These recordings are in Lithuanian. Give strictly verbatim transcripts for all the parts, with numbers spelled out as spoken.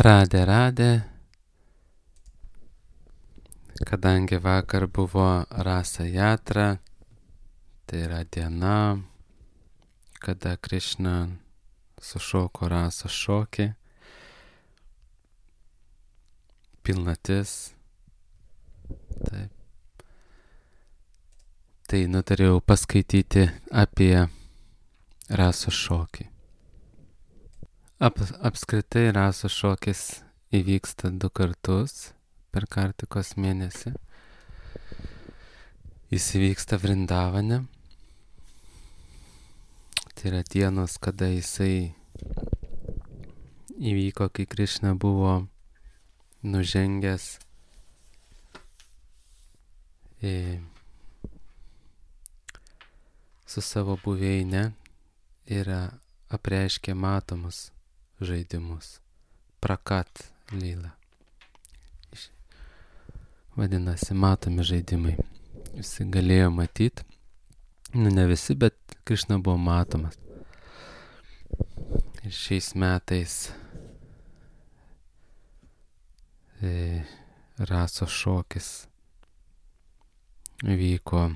Radė, radė, kadangi vakar buvo Rasa Jatra, tai yra diena, kada Krišna sušoko Rasos šokį, pilnatis, taip. Tai nutariau paskaityti apie Rasos šokį. Ap, apskritai Rasos šokis įvyksta du kartus per Kartikos mėnesį. Jis įvyksta Vrindavane. Tai yra dienos, kada jisai įvyko, kai Krišna buvo nužengęs į, su savo buveine ir apreiškė matomus žaidimus. Prakat lyla. Vadinasi, matomi žaidimai. Visi galėjo matyti. Nu, ne visi, bet Krišna buvo matomas. Ir šiais metais e, Rasos šokis vyko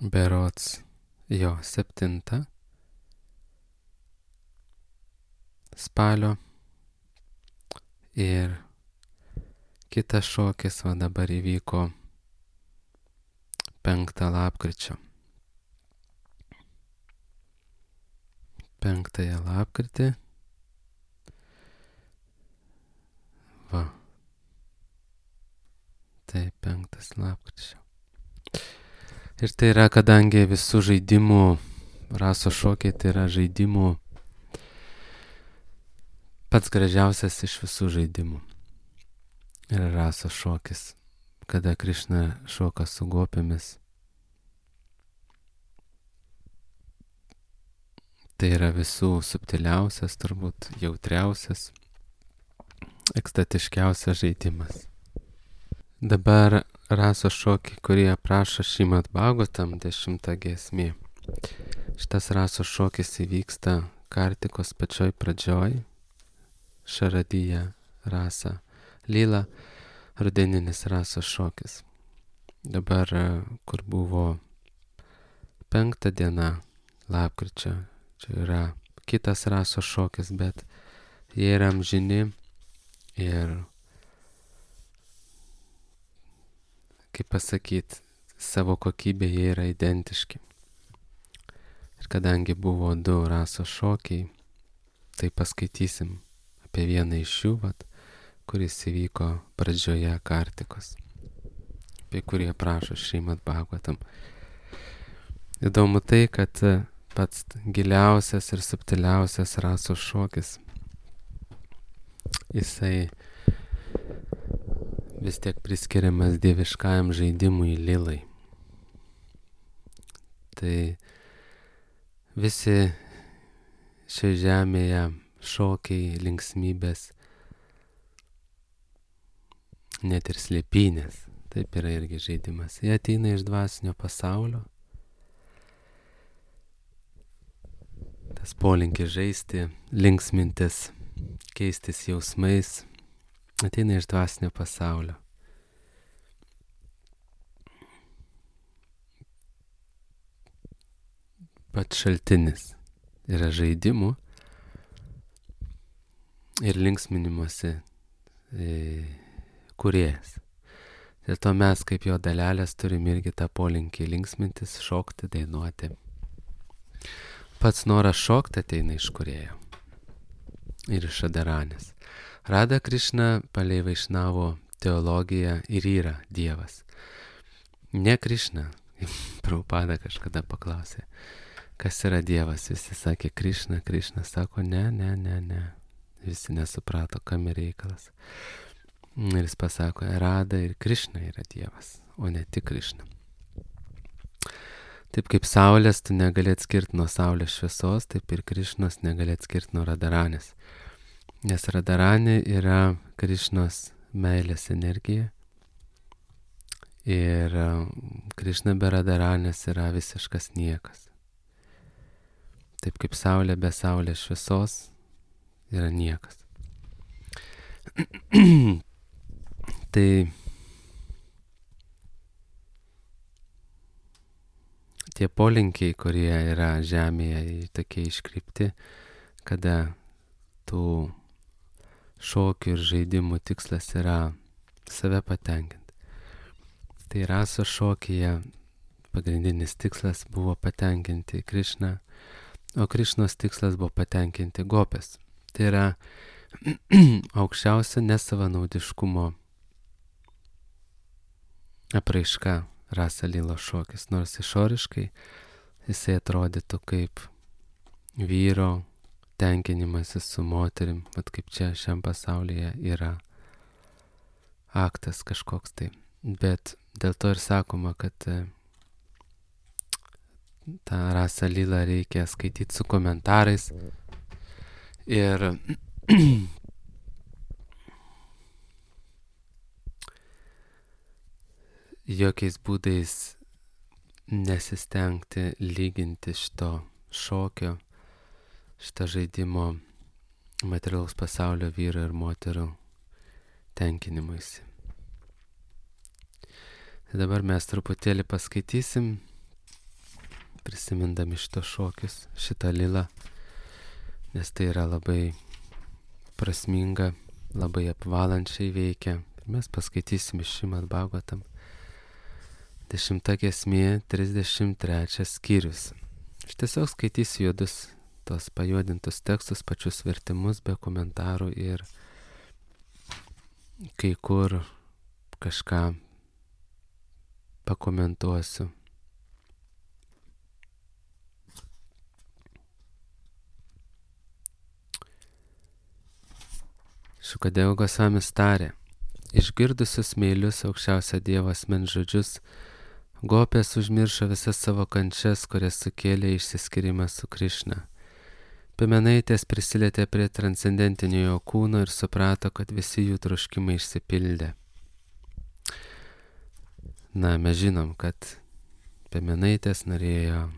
berods jo septintą spalio ir kitas šokis va dabar įvyko penktą lapkričio. Penktąją lapkritį. Va. Tai penktas lapkričio. Ir tai yra, kadangi visų žaidimų, Rasos šokiai tai yra žaidimų pats gražiausias iš visų žaidimų. Yra Rasos šokis, kada Krišna šoka su gopėmis. Tai yra visų subtiliausias, turbūt jautriausias, ekstatiškiausias žaidimas. Dabar Rasos šokį, kurį aprašo Šrimad Bhagavatam dešimta giesmė. Šitas Rasos šokis įvyksta Kartikos pačioj pradžioj, Šaradija Rasa Lyla, rudeninis Rasos šokis. Dabar, kur buvo penktą diena lapkričio, čia yra kitas Rasos šokis, bet jie yra amžini ir, kaip pasakyti, savo kokybė jie yra identiški. Ir kadangi buvo du Rasos šokiai, tai paskaitysim apie vieną iš jų, vat, kuris įvyko pradžioje Kartikos, apie kurį aprašo Šrimad Bhagavatam. Įdomu tai, kad pats giliausias ir subtiliausias Rasos šokis, jisai vis tiek priskiriamas dieviškajam žaidimui Lilai. Tai visi šioje žemėje šokiai, linksmybės, net ir slėpynės, taip yra irgi žaidimas. Jie ateina iš dvasinio pasaulio. Tas polinkis žaisti, linksmintis, keistis jausmais, ateina iš dvasinio pasaulio. Pats šaltinis yra žaidimų ir linksminimuose e, kūrėjas. Dėl to mes kaip jo dalelės turim irgi tą polinkį linksmintis, šokti, dainuoti. Pats noras šokti ateina iš kūrėjo ir iš Radaranės. Rada Krišna palei Vaišnavo teologiją ir yra Dievas. Ne Krišna. Prabhupada kažkada paklausė, kas yra Dievas. Visi sakė Krišna, Krišna sako ne, ne, ne, ne. Visi nesuprato, kam yra reikalas. Ir jis pasako, Rada ir Krišna yra Dievas, o ne tik Krišna. Taip kaip saulės tu negali atskirti nuo saulės šviesos, taip ir Krišnos negali atskirti nuo Radaranės. Nes Radaranė yra Krišnos meilės energija ir Krišna be Radaranės yra visiškas niekas. taip kaip saulė be saulės šviesos yra niekas. Tai tie polinkiai, kurie yra žemėje, tokie iškreipti, kada tų šokių ir žaidimų tikslas yra save patenkinti. Tai rasos šokyje pagrindinis tikslas buvo patenkinti Krišną, o Krišnos tikslas buvo patenkinti gopės. Tai yra aukščiausia nesavanaudiškumo apraiška Rasa Lila šokis, nors išoriškai jisai atrodytų kaip vyro tenkinimasis su moterim, vat kaip čia šiam pasaulyje yra aktas kažkoks tai. Bet dėl to ir sakoma, kad tą Rasa Lila reikia skaityti su komentarais ir jokiais būdais nesistengti lyginti šito šokio, šito žaidimo materialaus pasaulio vyro ir moterų tenkinimuisi. Dabar mes truputėlį paskaitysim, prisimindami šito šokius, šitą lilą, nes tai yra labai prasminga, labai apvalančiai veikia. Mes paskaitysim iš Šrimad Bhagavatam. Dešimta giesmė, trisdešimt trečias skyrius. Aš tiesiog skaitysiu juodus, tos pajuodintus tekstus, pačius vertimus be komentarų ir kai kur kažką pakomentuosiu. Šukadeva Gosvamis tarė, išgirdusius meilius aukščiausio Dievo asmens žodžius, gopės užmiršo visas savo kančias, kurias sukėlė išsiskyrimas su Krišna. Piemenaitės prisilietė prie transcendentinio jo kūno ir suprato, kad visi jų troškimai išsipildė. Na, mes žinom, kad piemenaitės norėjo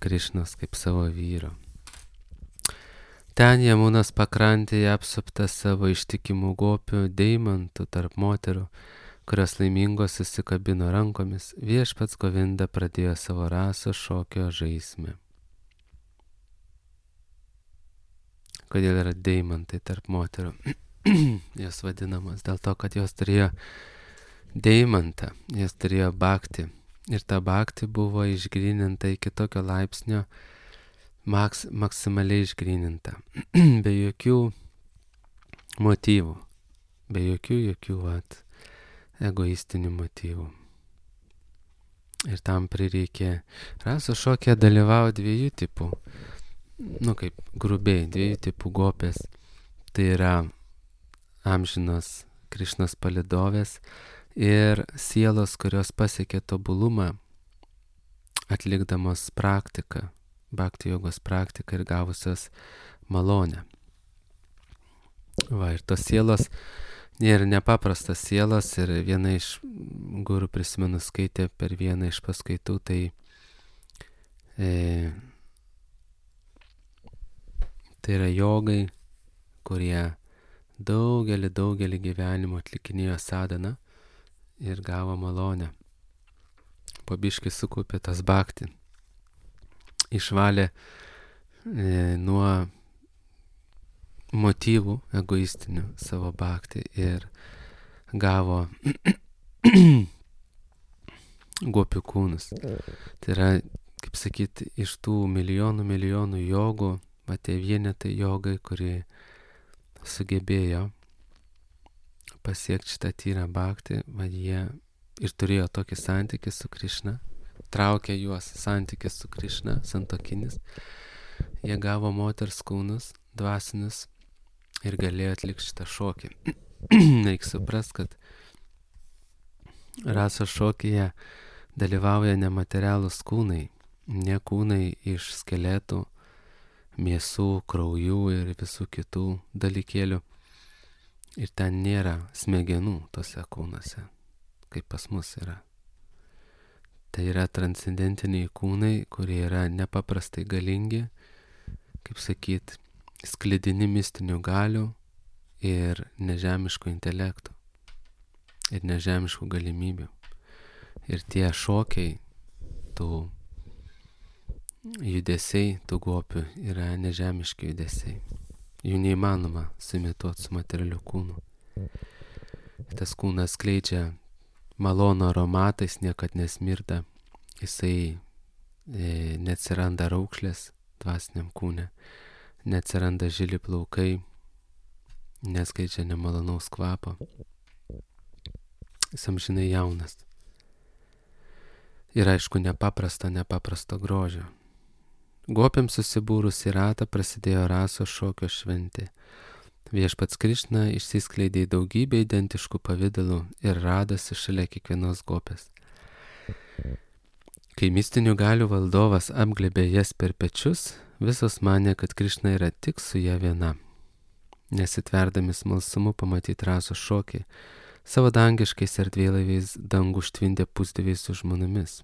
Krišnos kaip savo vyro. Ten Jamunos pakrantėje apsupta savo ištikimų gopių, deimantų tarp moterų, kurios laimingos susikabino rankomis, viešpats Govinda pradėjo savo rasos šokio žaismę. Kodėl yra deimantai tarp moterų? Jos vadinamos dėl to, kad jos turėjo deimantą, jos turėjo bhakti. Ir ta bhakti buvo išgryninta iki tokio laipsnio, maks, maksimaliai išgryninta. Be jokių motyvų, be jokių, jokių vat, egoistinių motyvų. Ir tam prireikė, rasos šokė dalyvavo dviejų tipų, nu kaip grubiai, dviejų tipų gopės. Tai yra amžinos Krišnos palidovės ir sielos, kurios pasiekė tobulumą, atlikdamos praktiką, bhakti jogos praktiką ir gavusios malonę. Va, ir tos sielos ir nepaprastas sielos, ir viena iš guru, prisimenu, skaitė per vieną iš paskaitų, tai e, tai yra jogai, kurie daugelį, daugelį gyvenimų atlikinėjo sadhaną ir gavo malonę. Po biškį sukaupė tas bhakti, išvalė e, nuo motyvų egoistinių savo bhakti ir gavo gopių kūnus. Tai yra, kaip sakyti, iš tų milijonų milijonų jogų, va tie vienetai jogai, kurie sugebėjo pasiekti šitą tyrą bhakti, va jie ir turėjo tokį santykį su Krišna, traukė juos santykis su Krišna, santokinis, jie gavo moters kūnus, dvasinius, ir galėjo atlikti šitą šokį. Reikia suprast, kad rasos šokyje dalyvauja nematerialūs kūnai, ne kūnai iš skeletų, mėsų, kraujų ir visų kitų dalykėlių. Ir ten nėra smegenų tose kūnuose, kaip pas mus yra. Tai yra transcendentiniai kūnai, kurie yra nepaprastai galingi, kaip sakyt, sklidini mistinių galių ir nežemiško intelekto ir nežemiškų galimybių. Ir tie šokiai, tų judesiai, tų gopių yra nežemiški judesiai. Jų neįmanoma suimituoti su materialiu kūnu. Tas kūnas skleidžia malonų aromatą, jis niekad nesmirda, jisai e, neatsiranda raukšlės dvasiniam kūne, neatsiranda žili plaukai, neskleidžia nemalonaus kvapo. Jis amžinai jaunas. Ir aišku, nepaprasto, nepaprasto grožio. Gopiams susibūrus į ratą prasidėjo rasos šokio šventė. Viešpats Krišna išsiskleidė į daugybę identiškų pavidalų ir radosi šalia kiekvienos gopės. Kai mistinių galių valdovas apglėbė jas per pečius, visos manė, kad Krišna yra tik su ja viena. Nesitverdami smalsumu pamatyti rasos šokį, savo dangiškais erdvėlaiviais dangų užtvindė pusdieviai su žmonomis.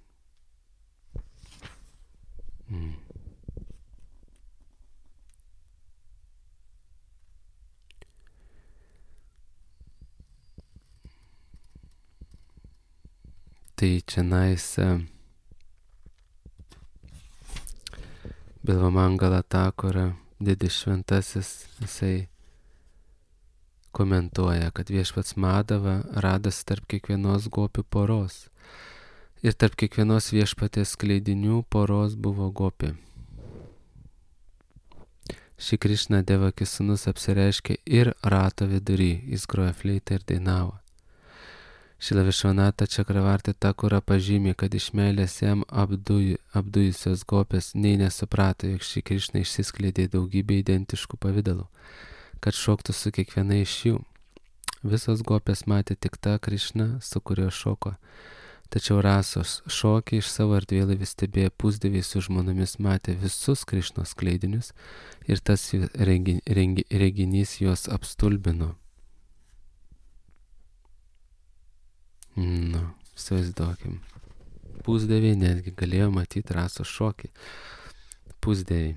Mm. Tai čianais Bilvamangala Thakura, didis šventasis, jisai komentuoja, kad viešpats Madava radosi tarp kiekvienos gopių poros ir tarp kiekvienos viešpatės skleidinių poros buvo gopė. Ši Krišna Devakis sūnus apsireiškė ir rato vidury, jis groja fleitą ir dainavo. Šila Višvanata Čakravarti Thakura pažymė, kad iš meilės jam apduj, apdujusios gopės nei nesuprato, jog ši Krišna išsiskleidė daugybė identiškų pavidalų, kad šoktų su kiekviena iš jų. Visos gopės matė tik tą Krišną, su kuriuo šoko. Tačiau rasos šokį iš savo erdvėlaivį stebėję pusdieviai su žmonomis matė visus Krišnos skleidinius ir tas rengi, rengi, reginys juos apstulbino. Nu, įsivaizduokim. Pusdieviai netgi galėjo matyti rasos šokį. Pusdieviai.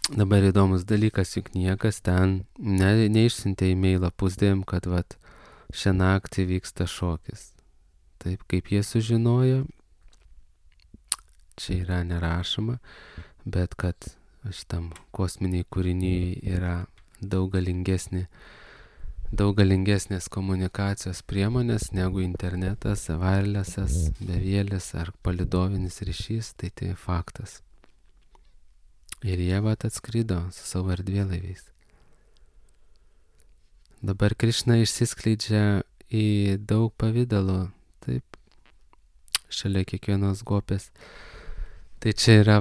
Dabar įdomus dalykas, juk niekas ten ne, neišsiuntė e-mailą pusdieviam, kad vat šią naktį vyksta šokis. Taip, kaip jie sužinojo, čia yra nerašoma, bet kad šitam kosminiai kūriniai yra daug galingesnė daug galingesnės komunikacijos priemonės negu internetas, wirelessas, bevėlis ar palidovinis ryšys, tai tai faktas. Ir jie vat atskrido su savo erdvėlaiviais. Dabar Krišna išsiskleidžia į daug pavidalų, taip, šalia kiekvienos gopės. Tai čia yra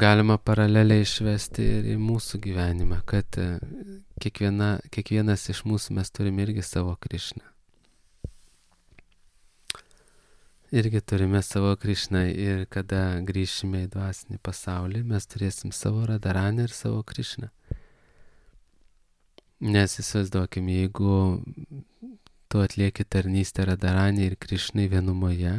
galima paraleliai išvesti ir į mūsų gyvenimą, kad kiekviena, kiekvienas iš mūsų mes turime irgi savo Krišną. Irgi turime savo Krišną ir kada grįšime į dvasinį pasaulį, mes turėsim savo Radharaní ir savo Krišną. Nes įsivaizduokim, jeigu tu atlieki tarnystę Radharaní ir Krišnai vienumoje,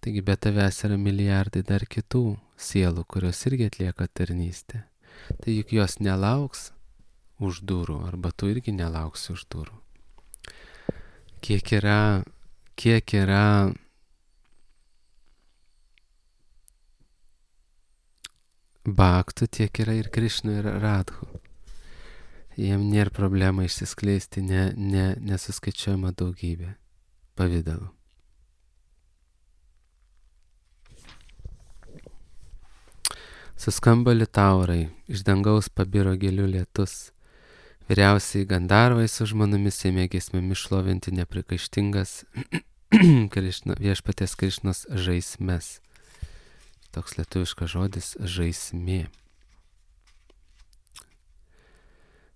taigi be tavęs yra milijardai dar kitų sielų, kurios irgi atlieka tarnystę. Tai juk jos nelauks už durų, arba tu irgi nelauksi už durų. Kiek yra, kiek yra bhaktų, tiek yra ir Krišnų ir Radhų. Jiem nėra problema išsiskleisti ne, ne, nesuskaičiuojama daugybė pavidalų. Suskamba litaurai, iš dangaus pabiro gėlių lietus. Vyriausiai Gandarvai su žmonomis ėmė giesmėmis šlovinti neprikaištingas Krišna, viešpaties Krišnos žaismes. Toks lietuviškas žodis žaismė.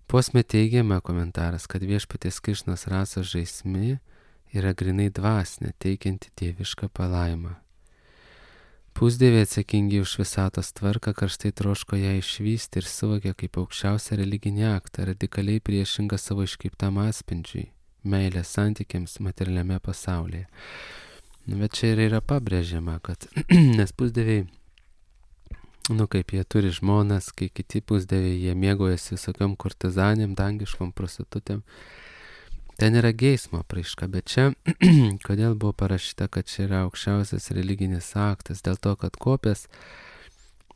Posme teigiame komentaras, kad viešpaties Krišnos rasos žaismė yra grinai dvasinė, teikianti dievišką palaimą. Pusdieviai atsakingi už visatos tvarką karštai troško ją išvysti ir suvokė kaip aukščiausią religinį aktą, radikaliai priešingą savo iškreiptam atspindžiui, meilės santykiams materialiame pasaulyje. Bet čia ir yra pabrėžiama, kad nes pusdieviai nu kaip jie turi žmonas, kai kiti pusdieviai, jie mėgojasi visokiom kurtizanėm, dangiškom prostitutėm. Ten yra geismo apraiška, bet čia, kodėl buvo parašyta, kad čia yra aukščiausias religinis aktas, dėl to, kad kopės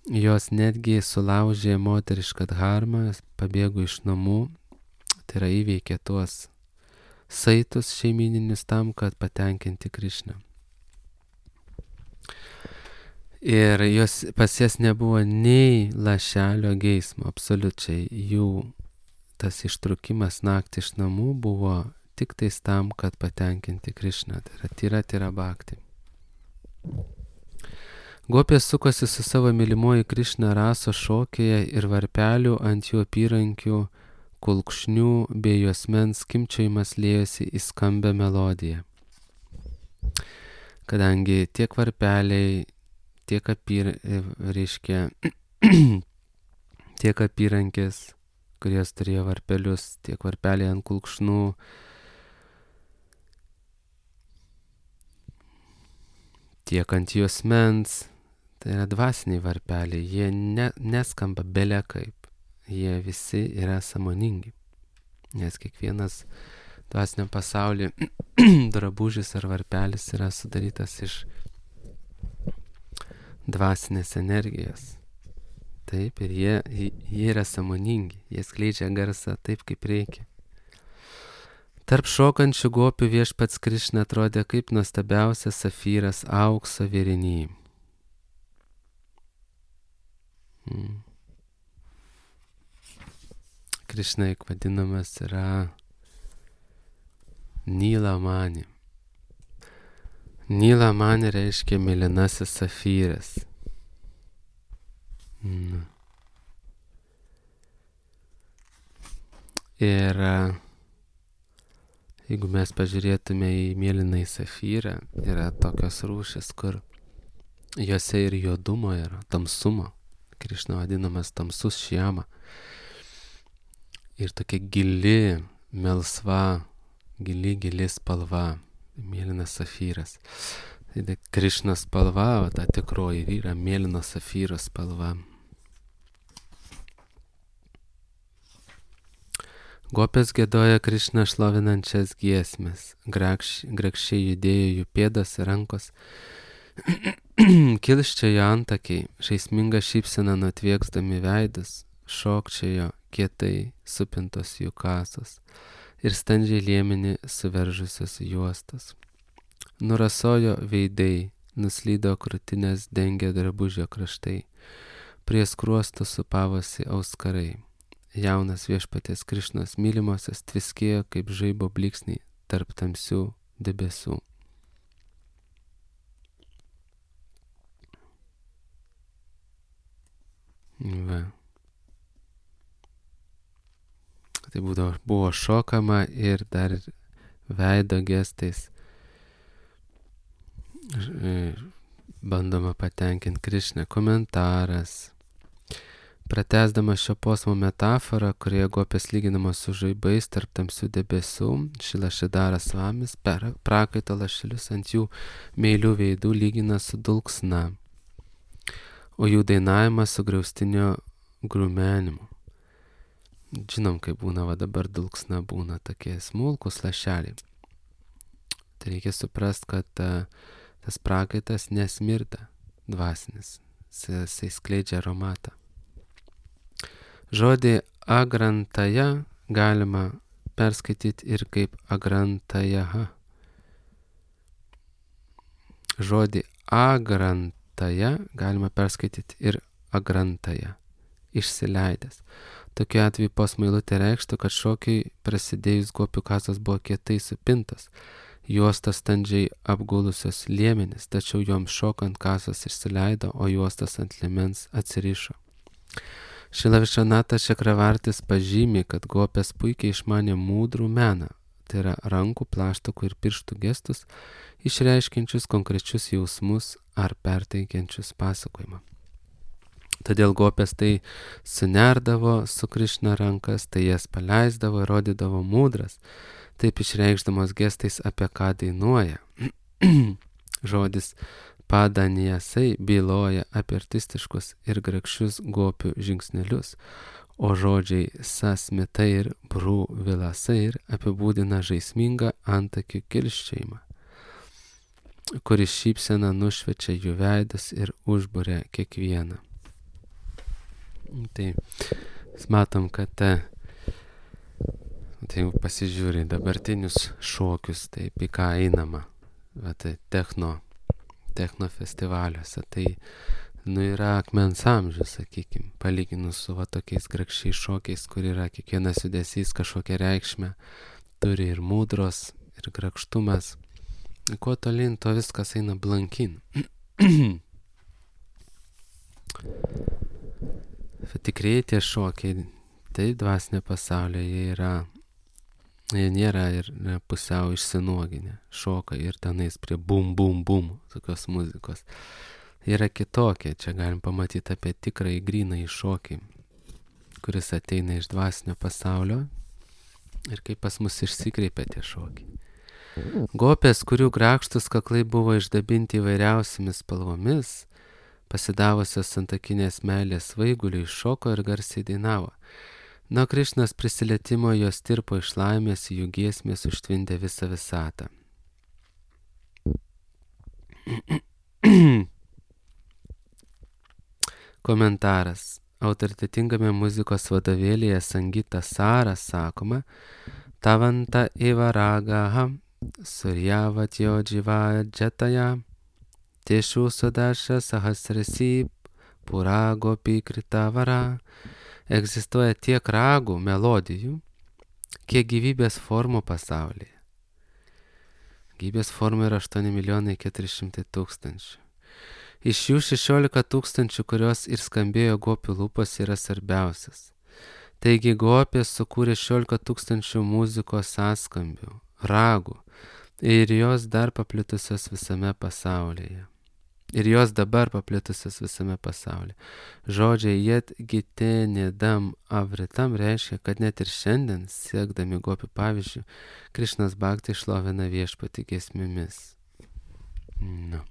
jos netgi sulaužė moterišką dharmą, pabėgo iš namų, tai yra įveikė tuos saitus šeimininius tam, kad patenkinti Krišną. Ir jos, pas jas nebuvo nei lašelio geismo, absoliučiai. Jų tas ištrukimas naktį iš namų buvo tik tais tam, kad patenkinti Krišną. Tai yra tyra tyra bhakti. Gopės sukosi su savo mylimoji Krišna raso šokėje ir varpelių ant jų apyrankių, kulkšnių bei juosmens skimbčiojimas liejosi į skambę melodiją. Kadangi tiek varpeliai, tiek apyr, reiškia, tiek apyrankės, kurios turėjo varpelius, tiek varpeliai ant kulkšnų, tiek ant juosmens, tai yra dvasiniai varpeliai, jie ne, neskamba bele kaip, jie visi yra sąmoningi, nes kiekvienas dvasiniam pasaulyje drabužis ar varpelis yra sudarytas iš dvasinės energijos. Taip, ir jie, jie yra sąmoningi, jie skleidžia garsą taip, kaip reikia. Tarp šokančių gopių viešpats Krišna atrodė kaip nuostabiausias safyras aukso vėriny. Hmm. Krišna juk vadinamas yra Nilamani. Nilamani reiškia mėlynasis safyras. Mm. Ir jeigu mes pažiūrėtume į mėlynąjį safyrą, yra tokios rūšis, kur juose ir juodumo yra, tamsumo. Krišna vadinamas tamsus šiama. Ir tokia gili, melsva, gili, gili spalva. Mėlynas safyras. Tai Krišnos spalva, o ta tikroji yra mėlyno safyro spalva. Gopės giedoja Krišną šlovinančias giesmes, grakščiai judėjo jų pėdos ir rankos, kilščiojo antakiai, žaisminga šypsena nutvieksdami veidus, šokčiojo kietai supintos jų kasos ir standžiai liemenį suveržusios juostos. Nurasojo veidai, nuslydo krūtinės dengė drabužio kraštai, prie skruostų supavosi auskarai. Jaunas viešpaties Krišnos mylimosios tviskėjo kaip žaibo blyksniai tarp tamsių debesų. Va. Tai būdavo, buvo šokama ir dar veido gestais bandoma patenkinti Krišną. Komentaras. Pratęsdama šio posmo metaforą, kurioje gopės lyginamos su žaibais tarp tamsių debesų, Šila Šridhara Svamis prakaito lašelius ant jų meilių veidų lygina su dulksna, o jų dainavimą su griaustinio grumenimu. Žinom, kaip būna, va dabar dulksna būna tokie smulkus lašeliai. Tai reikia suprast, kad ta, tas prakaitas nesmirda dvasinis, jisai skleidžia aromatą. Žodį agrantaja galima perskaityti ir kaip agrantajaha. Žodį agrantaja galima perskaityti ir agrantaja, išsileidęs. Tokiu atveju posmailutė reikštų, kad šokiai prasidėjus gopių kasos buvo kietai supintos, juostos standžiai apgulusios liemenis, tačiau joms šokant kasos išsileido, o juostos ant liemens atsirišo. Šila Višvanatas Čakravartis pažymi, kad gopės puikiai išmanė mūdrų meną, tai yra rankų, plaštakų ir pirštų gestus, išreiškiančius konkrečius jausmus ar perteikiančius pasakojimą. Todėl gopės tai sunerdavo su Krišna rankas, tai jas paleisdavo ir rodydavo mūdras, taip išreikšdamos gestais, apie ką dainuoja. Žodis Padanijasai byloja apie artistiškus ir grakščius gopių žingsnelius, o žodžiai sasmitai ir brų vilasai ir apibūdina žaismingą antakių kilščiojimą, kuris šypsena nušviečia jų veidus ir užburia kiekvieną. Tai matom, kad ta, tai pasižiūri dabartinius šokius, taip į ką einama, va, tai techno, techno festivaliuose, tai nu yra akmens amžius, sakykim, palyginus su va tokiais grakščiais šokiais, kur yra kiekvienas judesys kažkokią reikšmę, turi ir mūdros, ir grakštumas. Kuo tolyn, to viskas eina blankin. Tikrieji tie šokiai, tai dvasinė pasaulyje jie yra, jie nėra ir pusiau išsinuoginę, šoka ir tenais prie bum, bum, bum, tokios muzikos. Jie yra kitokie, čia galim pamatyti apie tikrąjį grynąjį šokį, kuris ateina iš dvasinio pasaulio ir kaip pas mus išsikreipia tie šokiai. Gopės, kurių grakštus kaklai buvo išdabinti įvairiausiamis spalvomis, pasidavusios santakinės meilės svaiguliui, šoko ir garsiai dainavo. Nuo Krišnos prisilietimo jos tirpo iš laimės, jų giesmės užtvindė visą visatą. Komentaras. Autoritetingame muzikos vadovėlyje Sangita Sara sakoma, Tavanta eva ragaha suryavatyo dživa džataja tieshu sudaša sahasrasi puragopi kritavara. Egzistuoja tiek ragų, melodijų, kiek gyvybės formų pasaulyje. Gyvybės formų yra aštuoni milijonai keturi šimtai tūkstančių. Iš jų šešiolika tūkstančių, kurios ir skambėjo gopių lūpas, yra svarbiausias. Taigi gopės sukūrė šešiolika tūkstančių muzikos sąskambių, ragų, ir jos dar paplitusios visame pasaulyje. Ir jos dabar paplitusios visame pasaulyje. Žodžiai jed gite nedam avritam reiškia, kad net ir šiandien, siekdami gopių pavyzdžių, Krišnas Bhakti šlovina viešpatį giesmėmis. Nu.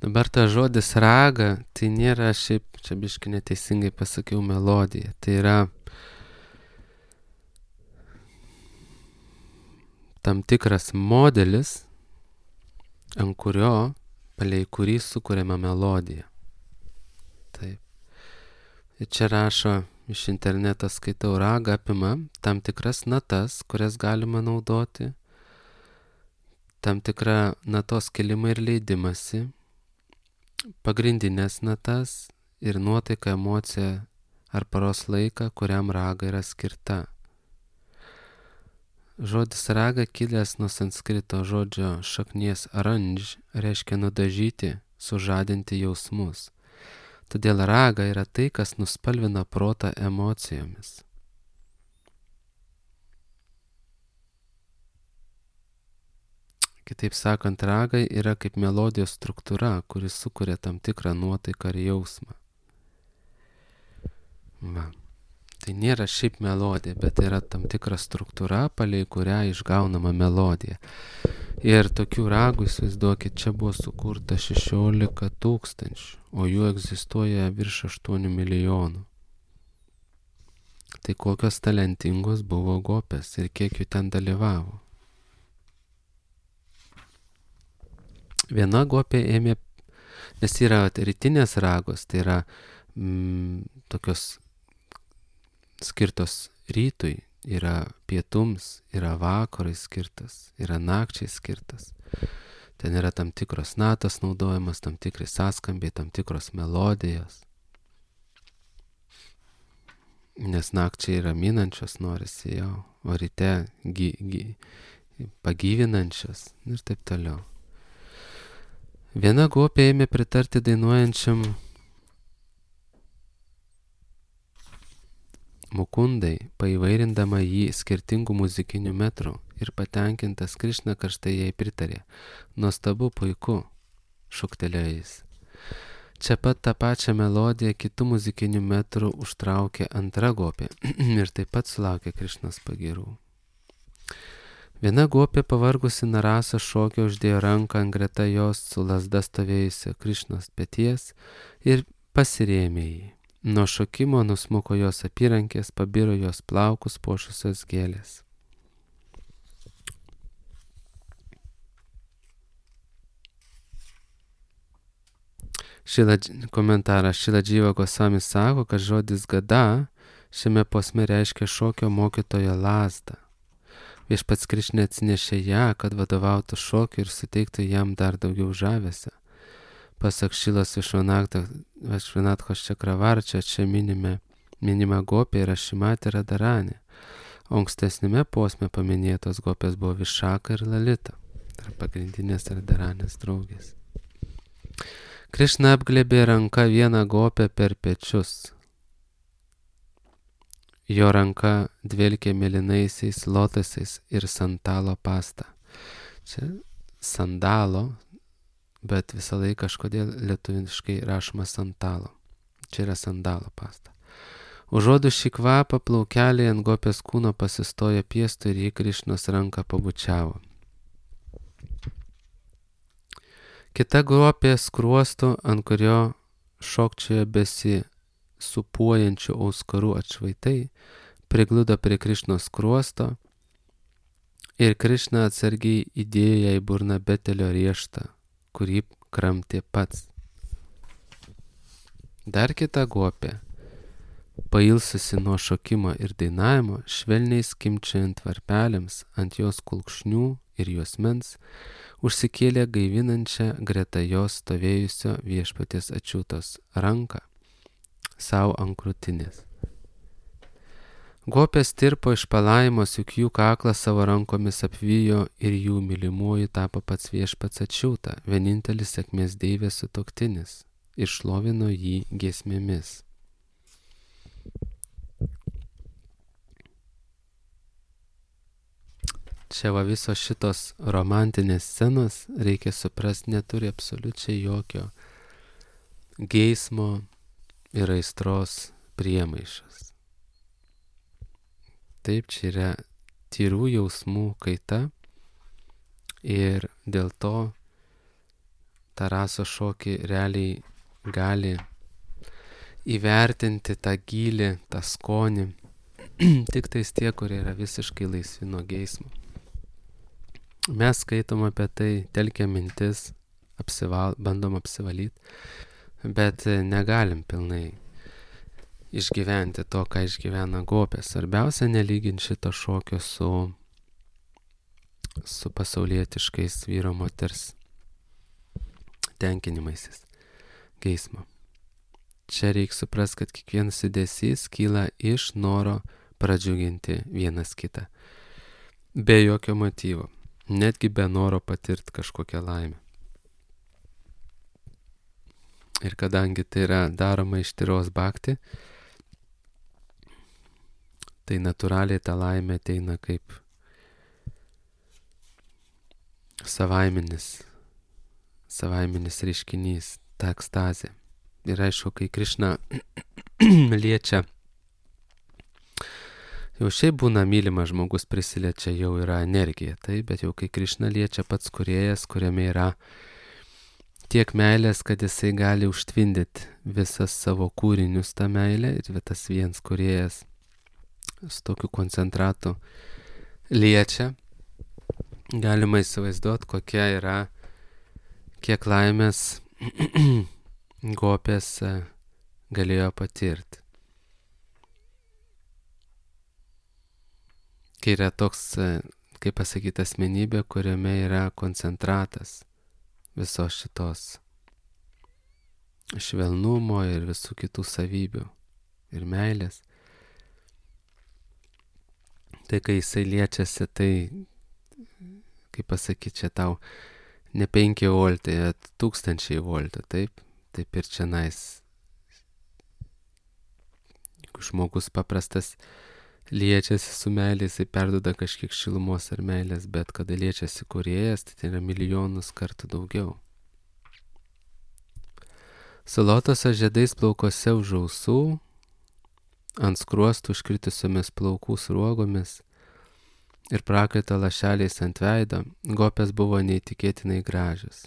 Dabar ta žodis raga, tai nėra šiaip, čia biškai neteisingai pasakiau, melodija. Tai yra tam tikras modelis, ant kurio, palei kurį sukuriama melodija. Taip. Ir čia rašo, iš interneto skaitau, raga apima tam tikras natas, kurias galima naudoti, tam tikrą natos kelimą ir leidimąsi, pagrindinės natas ir nuotaiką, emociją ar paros laiką, kuriam raga yra skirta. Žodis raga kilęs nuo sanskrito žodžio šaknies aranž, reiškia nudažyti, sužadinti jausmus. Todėl raga yra tai, kas nuspalvina protą emocijomis. Kitaip sakant, ragai yra kaip melodijos struktūra, kuris sukuria tam tikrą nuotaiką ir jausmą. Va. Tai nėra šiaip melodija, bet yra tam tikra struktūra, palei kurią išgaunama melodija. Ir tokių ragų, įsivaizduokit, čia buvo sukurta šešiolika tūkstančių, o jų egzistuoja virš aštuonių milijonų. Tai kokios talentingos buvo gopės ir kiek jų ten dalyvavo. Viena gopė ėmė, nes yra rytinės ragos, tai yra mm, tokios skirtos rytui, yra pietums, yra vakarui skirtas, yra nakčiai skirtas. Ten yra tam tikros natos naudojamas, tam tikri sąskambiai, tam tikros melodijos. Nes nakčiai raminančios norisi jau, o ryte gy, gy, pagyvinančios ir taip toliau. Viena gopė ėmė pritarti dainuojančiam Mukundai, paįvairindama jį skirtingų muzikinių metrų, ir patenkintas Krišna karštai jai pritarė. Nuostabu, puiku, šūktelėjo jis. Čia pat tą pačią melodiją kitų muzikinių metrų užtraukė antra gopė ir taip pat sulaukė Krišnos pagyrų. Viena gopė pavargusi Narasa šokio uždėjo ranką ant greta jos su lasda stovėjusio Krišnos peties ir pasirėmė jį. Nuo šokimo nusmuko jos apyrankės, pabiro jos plaukus puošusios gėlės. Šila, komentaras Šila Dživa Gosvami sako, kad žodis gada šiame posme reiškia šokio mokytojo lazdą. Viešpats Krišna atsinešė ją, kad vadovautų šokiu ir suteiktų jam dar daugiau žavesio. Pasak Šilos Višvanatchos Čakravarčio, čia minime, minima gopė yra Šimatė Radharanė, o ankstesnėme posme paminėtos gopės buvo Višaka ir Lalita, tai pagrindinės Radharanės draugės. Krišna apglėbė ranka vieną gopę per pečius. Jo ranka dvelkė mėlynaisiais lotosais ir sandalo pasta. Čia sandalo, bet visą laiką kažkodėl lietuviškai rašoma sandalo. Čia yra sandalo pasta. Užuodus šį kvapą plaukeliai ant gopės kūno pasistojo piestu ir jį Krišnos ranką pabučiavo. Kita gopė skruosto, ant kurio šokčioje besi supuojančių auskarų atšvaitai, prigludo prie Krišnos skruosto ir Krišna atsargiai įdėjo ją į burną betelio rieštą, kurį kramtė pats. Dar kita gopė, pailsusi nuo šokimo ir dainavimo, švelniai skimčiojant varpelėms ant jos kulkšnių ir juosmens, užsikėlė gaivinančią greta jos stovėjusio viešpaties ačiūtos ranką savo ant krūtinės. Gopės tirpo iš palaimos, juk jų kaklą savo rankomis apvijo ir jų mylimuoju tapo pats viešpats ačiūta, vienintelis sėkmės deivės sutuoktinis, iššlovino jį giesmėmis. Čia va visos šitos romantinės scenos, reikia suprasti, neturi absoliučiai jokio geismo ir aistros priemaišas. Taip, čia yra tyrų jausmų kaita ir dėl to tą raso šokį realiai gali įvertinti tą gylį, tą skonį, tik tais tie, kurie yra visiškai laisvi nuo geismo. Mes skaitom apie tai, telkiam mintis, apsival, bandom apsivalyti, bet negalim pilnai išgyventi to, ką išgyvena gopė. Svarbiausia nelyginti šito šokio su, su pasaulietiškais vyro moters tenkinimaisis geismo. Čia reikia suprasti, kad kiekvienas judesys kyla iš noro pradžiuginti vienas kitą. Be jokio motyvo. Netgi be noro patirti kažkokią laimę. Ir kadangi tai yra daroma iš tyros bhakti, tai natūraliai ta laimė ateina kaip savaiminis, savaiminis reiškinys, ta ekstazė. Ir aišku, kai Krišna liečia, jau šiaip būna mylimas žmogus prisiliečia, jau yra energija, tai, bet jau kai Krišna liečia pats kūrėjas, kuriame yra tiek meilės, kad jisai gali užtvindyti visas savo kūrinius tą meilę ir tas viens kūrėjas su tokiu koncentratu liečia, galima įsivaizduoti, kokia yra, kiek laimės gopės galėjo patirti. Kai yra toks, kaip pasakyti, asmenybė, kuriame yra koncentratas visos šitos švelnumo ir visų kitų savybių ir meilės. Tai kai jisai liečiasi, tai, kaip pasakyti, čia tau ne penki voltai, bet tūkstančiai voltų, taip? Taip ir čia nais. Jeigu žmogus paprastas liečiasi su meilė, jisai perduoda kažkiek šilumos ar meilės, bet kada liečiasi kūrėjas, tai tai yra milijonus kartų daugiau. Su lotoso žiedais plaukose už ausų, ant skruostų užkritusiomis plaukų sruogomis, ir prakaito lašeliais ant veido, Gopės buvo neįtikėtinai gražios.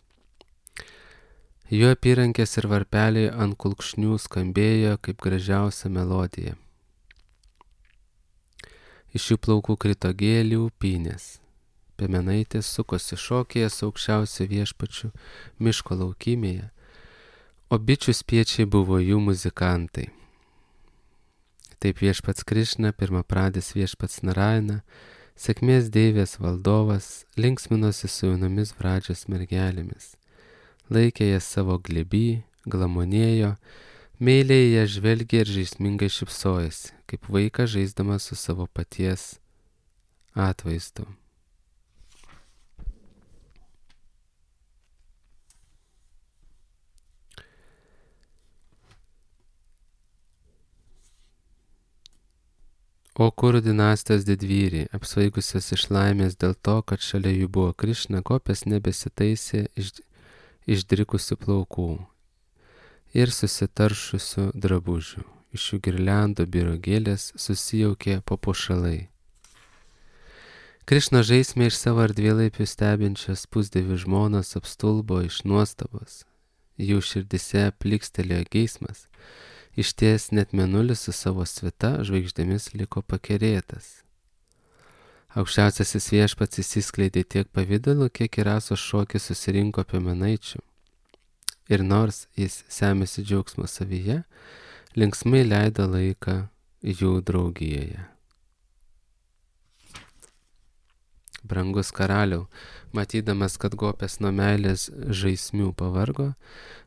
Jų apyrankės ir varpeliai ant kulkšnių skambėjo kaip gražiausia melodija. Iš jų plaukų krito gėlių upynės. Piemenaitės sukosi šokėje su aukščiausiu viešpačiu miško laukymėje, o bičių spiečiai buvo jų muzikantai. Taip viešpats Krišna, pirmapradis viešpats Narayana, sėkmės deivės valdovas, linksminosi su jaunomis Vradžios mergelėmis. Laikė jas savo glėby, glamonėjo, meiliai jas žvelgė ir žaismingai šypsojasi, kaip vaikas žaisdamas su savo paties atvaizdu. O Kurų dinastijos didvyriai, apsvaigusios iš laimės dėl to, kad šalia jų buvo Krišna, Gopės nebesitaisė iš, išdrikusių plaukų ir susitaršusių drabužių. Iš jų girliandų biro gėlės susijaukė papuošalai. Krišna žaismė iš savo ardvėlaipių stebinčias pusdievių žmonas apstulbo iš nuostabos. Jų širdise plikstelėjo geismas. Išties net mėnulis su savo svita žvaigždėmis liko pakerėtas. Aukščiausiasis viešpats įsiskleidė tiek pavydalų, kiek į rasos šokį susirinko piemenaičių. Ir nors jis semėsi džiaugsmo savyje, linksmai leido laiką jų draugijoje. Brangus karaliau, matydamas, kad Gopės nuo meilės žaismių pavargo,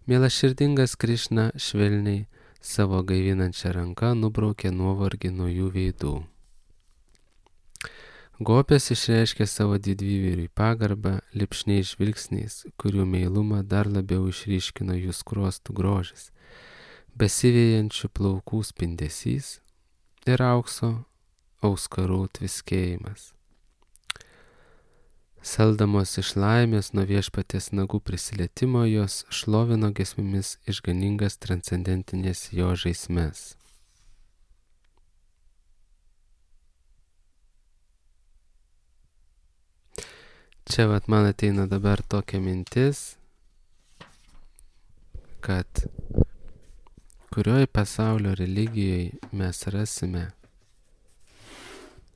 mielaširdingas Krišna švelniai savo gaivinančią ranką nubraukė nuovargį nuo jų veidų. Gopės išreiškė savo didvyriui pagarbą lipšniais žvilgsniais, kurių meilumą dar labiau išryškino jų skruostų grožis, besivėjančių plaukų spindesys ir aukso auskarų tviskėjimas. Saldamos iš laimės nuo viešpaties nagų prisilietimo, jos šlovino giesmėmis išganingas transcendentinės jo žaismes. Čia vat man ateina dabar tokia mintis, kad kurioj pasaulio religijoje mes rasime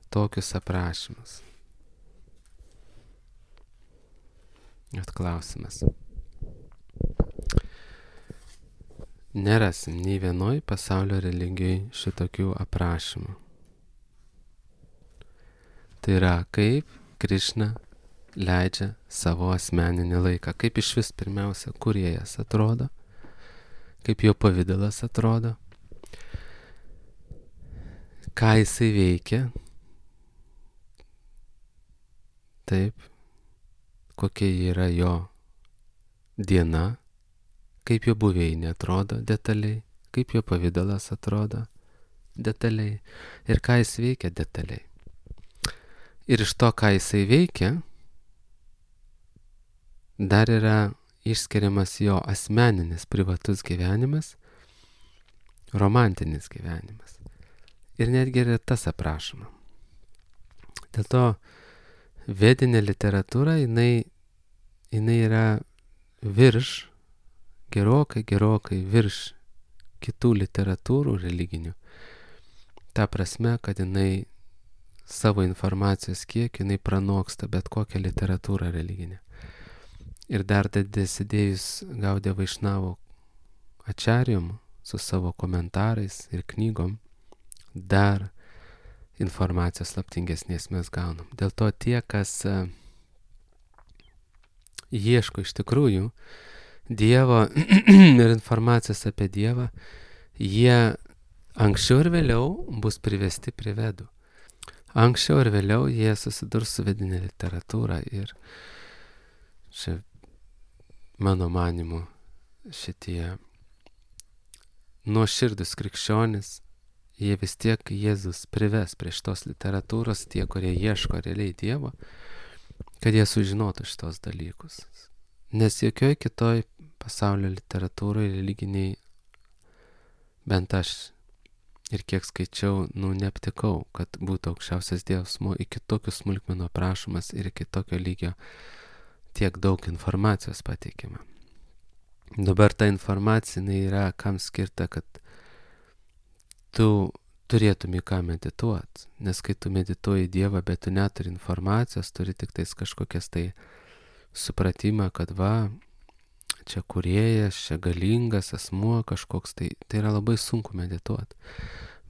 tokius aprašymus. Atklausimas. Nerasim nei vienoj pasaulio religijoje šitokių aprašymų. Tai yra, kaip Krišna leidžia savo asmeninį laiką, kaip iš vis pirmiausia kūrėjas atrodo, kaip jo pavidalas atrodo, ką jisai veikia, taip, kokia yra jo diena, kaip jo buveinė atrodo detaliai, kaip jo pavidalas atrodo detaliai ir ką jis veikia detaliai. Ir iš to, ką jisai veikia, dar yra išskiriamas jo asmeninis privatus gyvenimas, romantinis gyvenimas. Ir netgi yra tas aprašoma. Dėl to vedinė literatūra, jinai, jinai yra virš, gerokai, gerokai virš kitų literatūrų religinių. Ta prasme, kad jinai savo informacijos kiek, jinai pranoksta bet kokią literatūrą religinę. Ir dar dasidėjus Gaudija Vaišnavo ačarijom su savo komentarais ir knygom, dar informacijos slaptingesnės mes gaunam. Dėl to tie, kas uh, ieško iš tikrųjų Dievo ir informacijos apie Dievą, jie anksčiau ir vėliau bus privesti prie vedų. Anksčiau ir vėliau jie susidurs su vedinė literatūra ir čia mano manimu šitie nuoširdus krikščionis, jie vis tiek Jėzus prives prie šitos literatūros, tie, kurie ieško realiai Dievo, kad jie sužinotų šitos dalykus. Nes jokioj kitoj pasaulio literatūroje religiniai, bent aš ir kiek skaičiau, nu, neaptikau, kad būtų aukščiausias Dievas iki tokių smulkmenų aprašomas ir iki tokio lygio tiek daug informacijos pateikima. Dabar ta informacija yra kam skirta, kad tu turėtum į ką medituoti, nes kai tu medituoji Dievą, bet tu neturi informacijos, turi tik tais kažkokias tai supratimą, kad va, čia kūrėjas, čia galingas asmuo kažkoks, tai, tai yra labai sunku medituoti.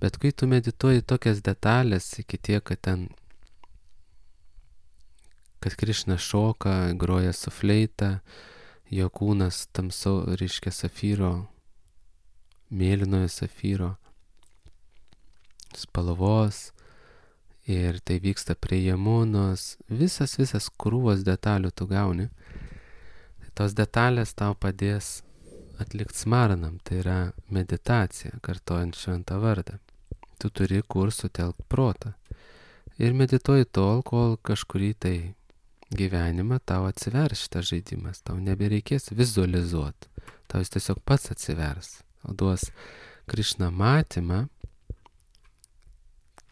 Bet kai tu medituoji tokias detalės iki tiek, kad ten, kad Krišna šoka, groja su fleita, jo kūnas tamsau, reiškia safyro, mėlynojo safyro spalvos, ir tai vyksta prie Jamunos, visas, visas krūvos detalių tu gauni. Tos detalės tau padės atlikti smaranam, tai yra meditacija, kartojant šventą vardą. Tu turi kur sutelkt protą. Ir medituoji tol, kol kažkurį tai gyvenimą tau atsivers šitas žaidimas. Tau nebereikės vizualizuoti. Tau jis tiesiog pats atsivers. O duos Krišna matymą,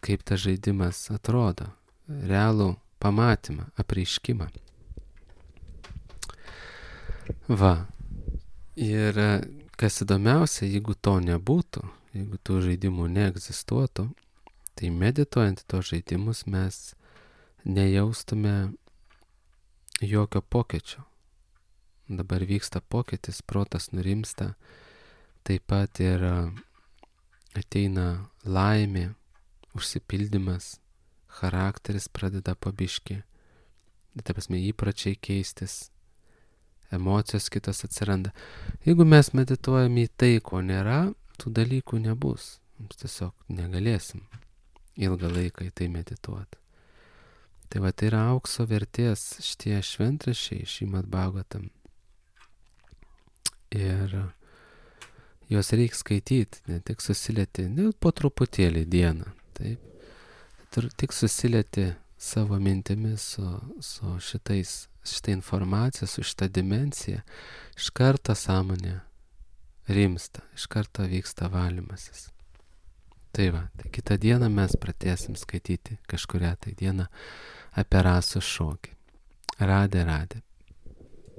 kaip tas žaidimas atrodo. Realų pamatymą, apreiškimą. Va. Ir kas įdomiausia, jeigu to nebūtų, jeigu tų žaidimų neegzistuotų, tai medituojant tos žaidimus mes nejaustume jokio pokyčio. Dabar vyksta pokytis, protas nurimsta, taip pat ir ateina laimė, užsipildymas, charakteris pradeda po biškį, tai prasme įpračiai keistis, emocijos kitos atsiranda. Jeigu mes medituojame į tai, ko nėra, tų dalykų nebus. Mums tiesiog negalėsim ilgą laiką į tai medituoti. Tai va, tai yra aukso vertės šitie šventraščiai, Šrimad Bhagavatam. Ir juos reikia skaityti, ne tik susilieti, ne po truputėlį dieną. Taip. Tik susilieti savo mintimis su, su šitais, šitą informaciją, su šitą dimensiją, iš karto sąmonė rimsta, iš karto vyksta valymasis. Tai va, tai kitą dieną mes pradėsim skaityti kažkurią tai dieną apie rasų šokį. Radė, radė.